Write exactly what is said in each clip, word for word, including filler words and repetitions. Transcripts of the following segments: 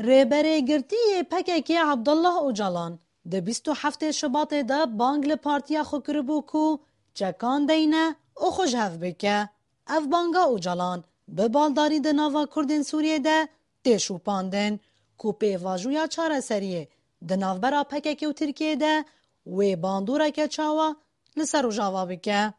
Rêberê girtî yê P K K Abdullah Ocalan di bîst û heftê Şibatê de bang li partiya xwe kiribû ku çekan deyne û xwe ji hev bike. Ev banga Ocalan bi baldarî di nava Kurdên Sûriyê de tê şopandin ku pêvajoya çareseriyê di navbera P K K û Tirkiyê de wê bandoreke çawa li ser Rojava bike.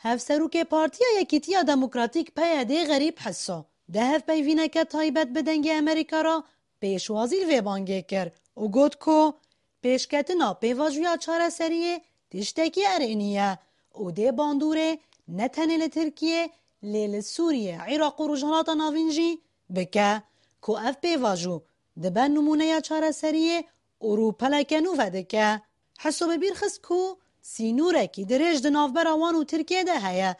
Hevserokê Partiya Yekîtiya Demokratîk P Y D Xerîb Hiso di hevpeyvîneke taybet bi Dengê Amerîka re pêşwazî li vê bangê kir û got ku pêşketina pêvajoya çareseriyê tiştekî erênî ye û dê bandorê ne tenê li Tirkiyê lê li Sûriyê, Iraq û Rojhilata Navîn jî bike ku ev pêvajo dibe nimûneya çareseriyê û rûpeleke nû vedike. Hiso bi bîr xist ku sînorekî dirêj di navbera wan û Tirkiyê de heye.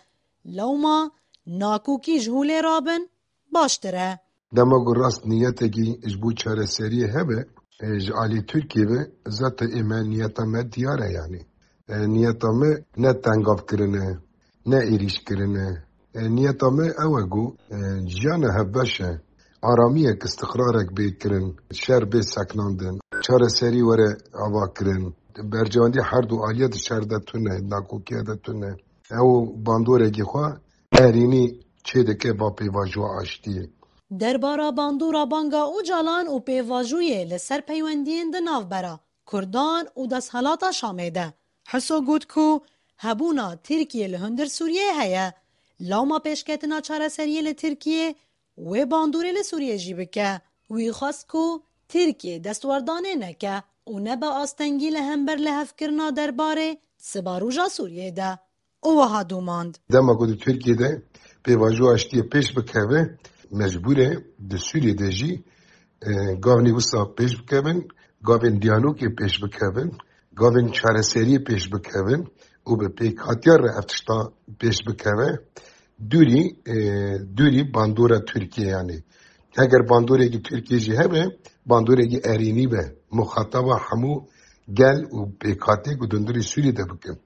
Lewma nakokî ji holê rabin baştir e. Dema ku rast niyetekî ji bo çareseriyê hebe, e, ji alî Tirkiyê ve, zaten ê me niyeta me diyar e yanî. E, niyeta me ne tengavkirin e, ne êrîşkirin e. E, niyeta me ew e ku, e, jiyana hevbeş e. Aramiyek, istiqrarek bê kirin, şer bê sekinandin, çareserî were ava kirin. Berjewendî her du aliyê di şer de tune, nakokiye de tune. Ew bandorekî xwe erênî çêdike ba pêvajoya aştiyê. Derbara bandora banga Ocalan û pêvajoyê li ser peywendiyên di navbera Kurdan û desthilata Şamê de, Hiso got ku hebûna Tirkiyê li hundir Sûriyeyê heye. Lewma pêşketina çareseriyê li Tirkiyê wê bandorê li Sûriyê jî bike. Wî xwest ku Tirkiye destwerdanê neke û nebe astengî li hember lihevkirina derbarê sibaroja Sûriyê de. Û wiha domand. Dema ku di Tirkiyê de pêvajoya aştiyê pêş bikeve, mecbûr e di Sûriyê de jî, e, gavnê wisa pêş bikevin, gavên diyalogê pêş bikevin, gavên çareseriyê pêş bikevin û bi pêkhatiya re ev tişta pêş bikeve, dûrî, e, dûrî bandora Tirkiyê yanî. Heger bandorekî Tirkiyê jî hebe, bandorekî erênî be, muxataba hemû gel û pêkhatê ku di hundirê Sûriyê de bikin.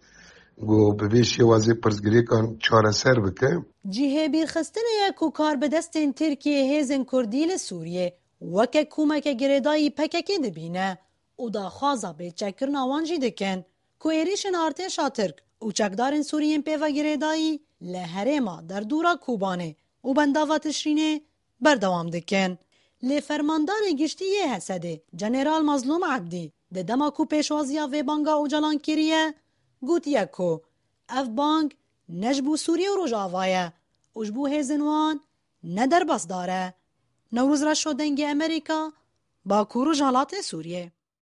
Ku bi vê şêwazê pirsgirêkan çareser bike. Cihê bîrxistinê ye ku karbidestên Tirkiyê hêzên Kurdî li Sûriyê weke komeke girêdayî P K K dibîne û daxwaza bêçekkirina wan jî dikin ku êrîşên artêşa Tirk û çekdarên Sûrî yên pê ve girêdayî li herêma derdora Kobanê û bendava Tişrînê berdewam dikin. Lê fermandarê giştî yê Hesedê, General Mazlûm Ebdî, di dema ku pêşwaziya vê banga Ocalan kiriye, gotiye ku ev bang ne ji bo Sûriye û Rojava ye û ji bo hêzên wan ne derbasdar e. Newroz Reşo, Dengê Amerîka, Bakur û Rojhilatê Sûriyê.